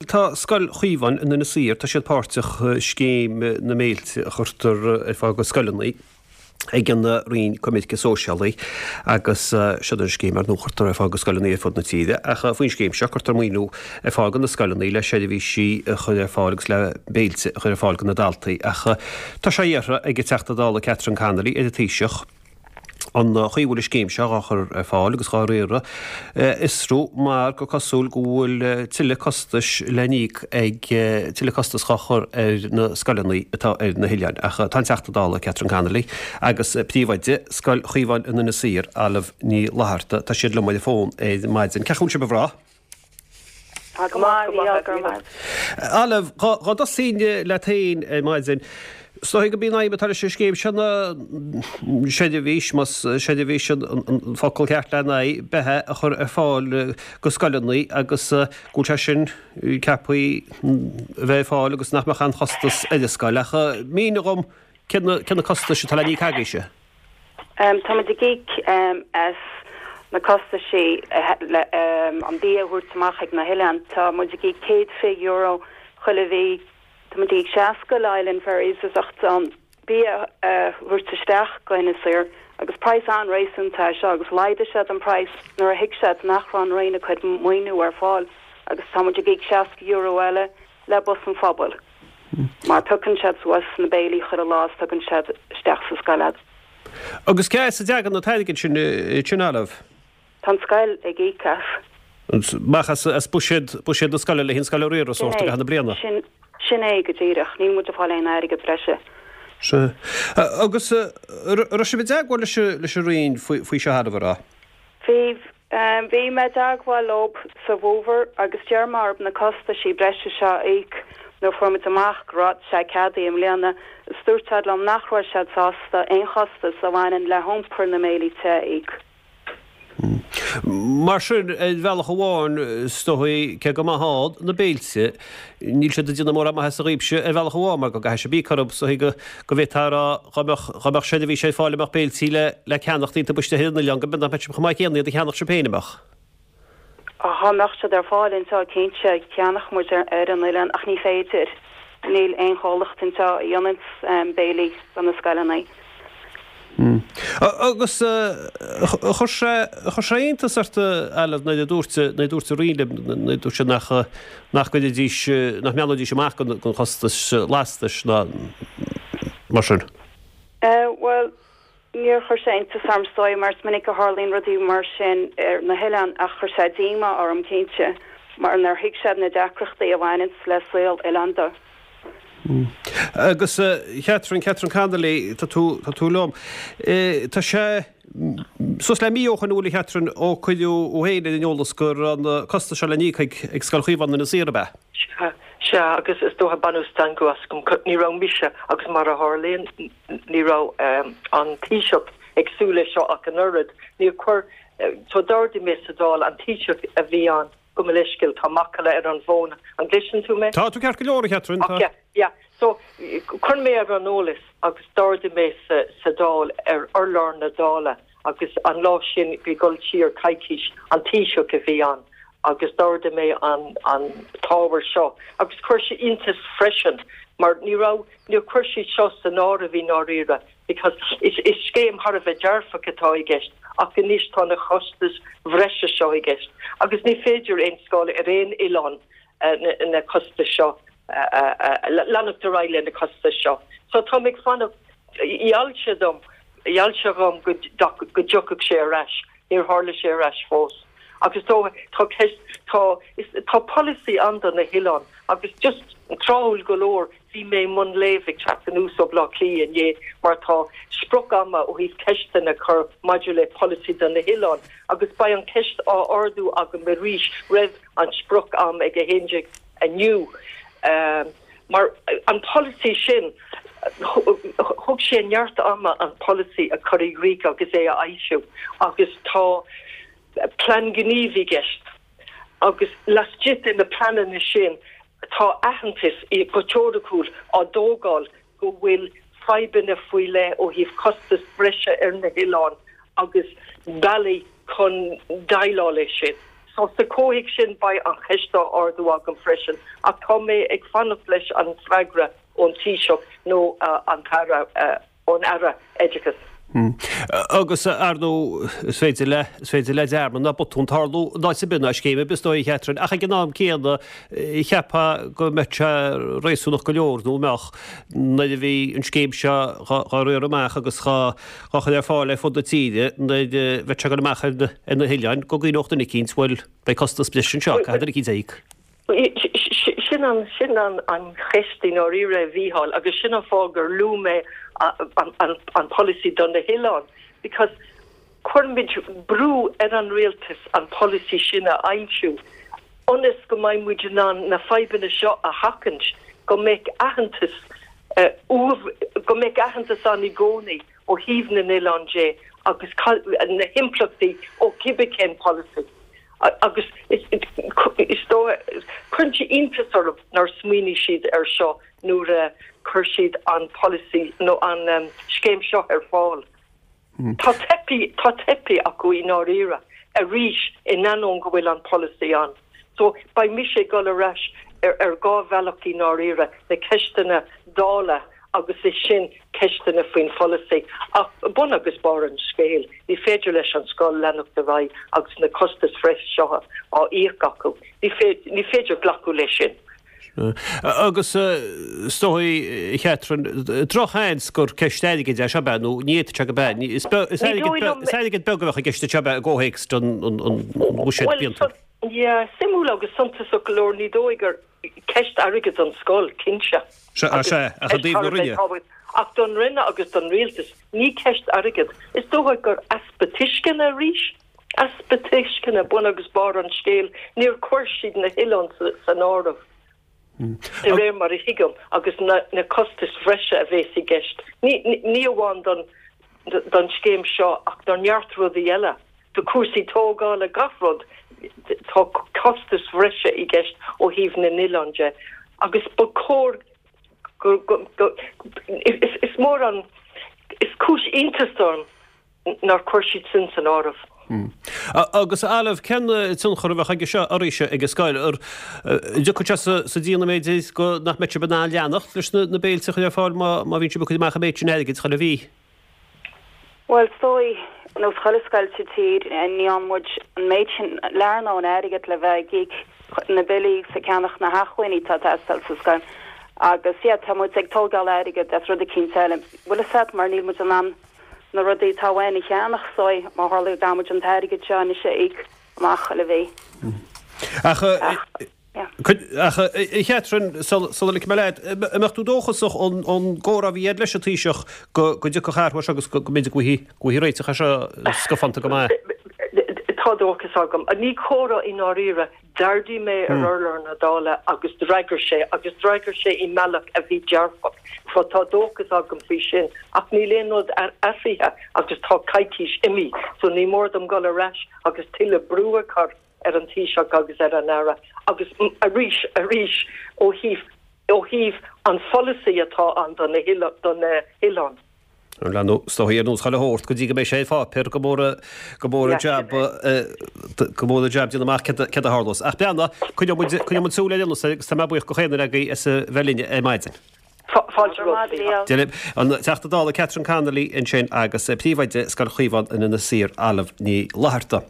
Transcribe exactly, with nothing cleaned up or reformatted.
Tá Scoil Chaomháin in Inis Oírr, tá siad páirteach i scéim na mbéiltí a chuirtear ar fáil do scoileanna ag an Roinn Coimirce Sóisialaí agus seo an scéim ar ndóigh a chuirtear ar fáil do scoileanna ar fud na tíre. Ach faoin scéim seo cuirtear maoiniú ar fáil do na scoileanna le seirbhísí a chur ar fáil agus le béilte a chur ar fáil do na daltaí. Ach tá sé iarrtha ag an Teachta Dála Catherine Connolly ar an Taoiseach, an chaoi a bhfuil an scéim seo á chur ar fáil agus dhá riaradh a fhiosrú mar gur cosúil go bhfuil tuilleadh costais le n-íoc ag tuilleadh costas dhá chur ar na scoileanna atá ar na hoileáin. Ach tá an Teachta Dála Catherine Connolly agus príomhoide Scoil Chaomháin in Inis Oírr, Olive Ní Fhlatharta, tá siad liom ar an bhfón ar maidin. Cén chaoi a bhfuil sibh a mhná? Tá go maith, go maith, go raibh maith. Olive, dhá dtosóinn leat féin ar maidin, is dóigh gurb í an aidhm atá leis an scéim seo ná seirbhís, más seirbhís an focal ceart lena aghaidh, beatha a chur ar fáil do scoileanna agus go bhfuil sé sin ceaptha a bheith ar fáil agus nach mbeadh aon chostas ar an scoil. Ach mínigh dhom cé na costais atá le n-íoc agaibhse? Tá muid ag íoc as na costaisí le an bia a thabhairt amach ag na hoileáin. Tá muid ag íoc céad fiche euro chuile mhí. Tá muid ag íoc seasca le Island Ferries as ucht an bia a thabhairt isteach go hInis Oírr agus praghas an-réasúnta é seo agus laghdaigh siad an praghas nuair a thuig siad nach raibh an Roinn ag cur maoiniú ar fáil agus tá muid ag íoc seasca euro eile le Bus an Phobail mar piocann siad suas na béilí chuile lá is tugann siad isteach sa scoil iad. Agus cé as a dtagann an t-airgead sin, sin Olive? Tá an scoil ag íoc as. Amach as buiséad, buiséad na scoile le haghaidh an scoil a riaradh sórt i gcaitheamh na bliana? Sin, sin é go díreach. Níl muid ag fáil aon airgead breise. Sea. Agus an raibh sibh i dteagmháil leis, leis an Roinn faoi, faoi seo Olive, an raibh? Bhí. Bhí mé i dteagmháil leo sa bhfómhar agus d'iarr mé orthu na costaisí breise seo a íoc nuair a fuair muid amach go raibh sé ceadaithe i mbliana is dúirt siad liom nach raibh siad sásta aon chostas a bhaineann le hiompar na mbéilí te a íoc. Mar sin, ar bhealach amháin, is dóigh, cé go maith ann na béilte, níl siad ag déanamh mórán maitheasa dhaoibhse ar bhealach amháin mar go gcaithfidh sibh íoc orthu, is dóigh go bhféadfá a rá dhá mbeadh, dhá mbeadh seirbhís ar fáil a mbeadh béiltí le, le ceannacht iontu istigh ar an oileán, go mbeadh, nach mbeadh sibh chomh maith céanna iad a cheannach sibh féin, an mbeadh? Dhá mbeadh siad ar fáil anseo, cinnte, cheannódh muid ar, ar an oileán ach ní féidir. Níl aon chomhlacht anseo a dhéananns béilí do na scoileanna. Agus chuir sé, chuir sé iontas ort, Olive, nuair a dúirt, nuair a dúirt an Roinn libh, nuair a dúirt siad nach, nach gcuirfidís, nach mbreathnóidís amach don, don chostas lastais ná mar sin? Bhuel, níor chuir sé iontas orm is dóigh mar is minic a tharlaíonn rudaí mar sin ar na hoileáin ach chuir sé díomá orm cinnte mar nár thuig siad na deacrachtaí a bhaineanns le saol oileánda. Agus Catherine, Catherine Connolly, tá tú, tá tú liom. Tá sé suas le mí ó shoin an bhfuil a Chatherine ó cuireadh thú féin ar an eolas go raibh na costais seo le n-íoc ag, ag Scoil Chaomháin Inis Oírr, ab ea? Sea, sea, agus is dócha baineadh stangadh as go, ní raibh mise agus mar a tharlaíonn ní raibh an Taoiseach ag súil leis seo ach an oiread. Níor chuir, so d'ardaigh mé sa Dáil an Taoiseach a bhí ann. Gabh mo leithscéal, tá macalla ar an bhfón. An gcloiseann tú mé? Tá tú ceart go leor, a Chatherine, tá. Ok, yeah. So, chuir mé ar an eolas agus d'ardaigh mé sa, sa Dáil, ar urlár na Dála agus an lá sin, bhí ag dul siar coicís, an Taoiseach a bhí ann agus d'ardaigh mé an, an t-ábhar seo agus chuir sé iontas freisin mar ní raibh, níor chuir siad seo san áireamh i ndáiríre. Because is is scéim thar a bheith dearfach atá i gceist ach anois tá na costais bhreise seo i gceist agus ní féidir aon scoil ar aon oileán na costais seo leanacht ar aghaidh le na costais seo. So táim ag fanacht, gheall sé dom, gheall sé dhom go go dtiocfadh sé ar ais, níor tharla sé ar ais fós. Agus tá tá ceist tá is tá polasaí ann do na hoileáin agus just tráthúil go leor Bhí mé i mbun léimh ag teacht anuas ó Bhleá Cliath inné mar tá sprioc ama ó thaobh ceisteanna a chur maidir le polasaí do na hoileáin agus beidh an cheist á ardú agam arís roimh an sprioc am ag a haon déag inniu mar an polasaí sin thug sé neart ama an polasaí a chur i gcrích agus é a fhoilsiú agus tá plean gnímh i gceist agus laistigh de na pleananna sin tá aitheantas go teoiriciúil á dtógáil go bhfuil fadhbanna faoi leith ó thaobh costas breise ar na hoileáin agus bealaí chun déileáil leis sin. So sa chomhthéacs sin beidh an cheist á ardú agam freisin ach tá mé ag fanacht leis an freagra ón Taoiseach nó an tAire ón Aire Oideachais. Agus ar ndóigh is féidir le is féidir le dearmad ná botún tarlú in áit ar bith ná scéim ar bith is dóigh a Chatherine ach ag an am céanna cheapfá go mbeadh sé réasúnach go leor nó an mbeadh nuair a bhí an scéim seo dhá riar amach agus dhá dhá chur ar fáil ar fud na tíre nuair a bheadh sé ag dul amach ar na hoileáin go gcuimhneodh duine eicínt bhuel beidh costas breise anseo caithfidh duine eicínt a íoc. Sin an sin an an cheist i ndáiríre a Mhícheáil agus sin an fáth gur luaigh mé an an an polasaí do na hoileáin because cuirimid brú ar an rialtas an polasaí sin a fhoilsiú ionas go mbeidh muid in ann na fadhbanna seo a sheachaint, go mbeidh aitheantas go mbeidh aitheantas ann i gcónaí ó thaobh na n-oileán de agus na himpleachtaí ó cibé cén polasaí. Agus is dóigh, cuireann sé iontas orm nár smaoinigh siad air seo nuair a chuir siad an polasaí nó an scéim seo ar fáil. Tá teipthe, tá teipthe acu i ndáiríre, arís, in ainneoin go bhfuil an polasaí ann. So, beidh mise ag dul ar ais ar ar dhá bhealach i ndáiríre, na ceisteanna Dála agus ansin ceisteanna faoin pholasaí. Ach bun agus barr an scéil, ní féidir leis an scoil leanacht ar aghaidh agus na costais bhreise seo á íoc acu. Ní ní féidir glacadh leis sin. Agus is dóigh, a Chatherine, drochsheans gur ceist airgid é seo, ab ea? Nó ní fhéadfadh sé go b'ea. Is airgead beag a bheadh i gceist anseo, ab ea, i gcomhthéacs an bhuiséid bliantúil. Yeah, suimiúil agus suntasach go leor, ní dóigh gur ceist airgid don scoil, cinnte. Sea, sea, ach i dtaobh na Roinne. Ach don Roinn agus don Rialtas, ní ceist airgid. Is dócha gur easpa tuisceana arís, easpa tuisceana bun agus barr an scéil. Níor chuir siad na hoileáin san áireamh, de réir mar a thuigim, agus na costais bhreise a bheas i gceist, ní amháin don scéim seo ach do neart rudaí eile. Do chúrsaí tógála, gach rud, tá costais bhreise i gceist ó thaobh na n-oileán de agus ba chóir go, go, go, is, is mór an, is cúis iontais dom nár chuir siad sin san áireamh. Agus Olive, cén tionchar a bheadh aige seo arís ag an scoil? An dtiocfadh sé sa déanamh b'fhéidir go nach mbeadh sibh in ann leanacht leis na béiltí a chur ar fáil má bhíonn sibh ag cur amach an méid sin airgid chuile mhí? Bhuel, is dóigh, nós chuile scoil sa tír, ní fhaigheann muid an méid sin lear mór airgid le bheith ag íoc na billí agus ag ceannach na hacmhainní atá ag teastáil sa scoil. Agus, yeah, tá muid ag tógáil airgid as rud eicínt eile. Bhfuil fhios a't, mar níl muid in ann na rudaí atá uainn a cheannach, so, má tharla go gcaithfidh muid an t-airgead seo anois a íoc amach chuile mhí. Ach, Ach, a Chatherine, sula ligfidh mé leat, an mbeadh tú dóchasach ón gcomhrá a bhí agat leis an Taoiseach go dtiocfadh athrú air seo agus go mb'fhéidir go bhfaighfí réiteach air seo scafánta go maith? Tá dóchas agam. Ní comhrá i ndáiríre. D'ardaigh mé ar urlár na Dála agus d'fhreagair sé, agus d'fhreagair sé i mbealach a bhí dearfach. So tá dóchas agam faoi sin. Ach níl aon rud athraithe agus tá coicís imithe, so ní mór dom dul ar ais agus tuilleadh brú a chur ar an Taoiseach agus ar an Aire agus arís, arís ó thaobh, ó thaobh an pholasaí atá ann do na do na hoileáin. Leanadh is dóigh ar nós chuile shórt go dtí go mbeidh sé ar pháipéar go mór go mór an jab go mór an jab déanamh amach céard a tharlós. Ach breathnaigh, coinneoidh muid coinneoidh muid súil air anois agus tá mé buíoch de chaon duine agaibh as a bheith linn ar maidin. Fáilte romhat, a Mhícheáil. Dia libh. An Teachta Dála Catherine Connolly ansin agus Príomhoide Scoil Chaomháin in Inis Oírr, Olive Ní Fhlatharta.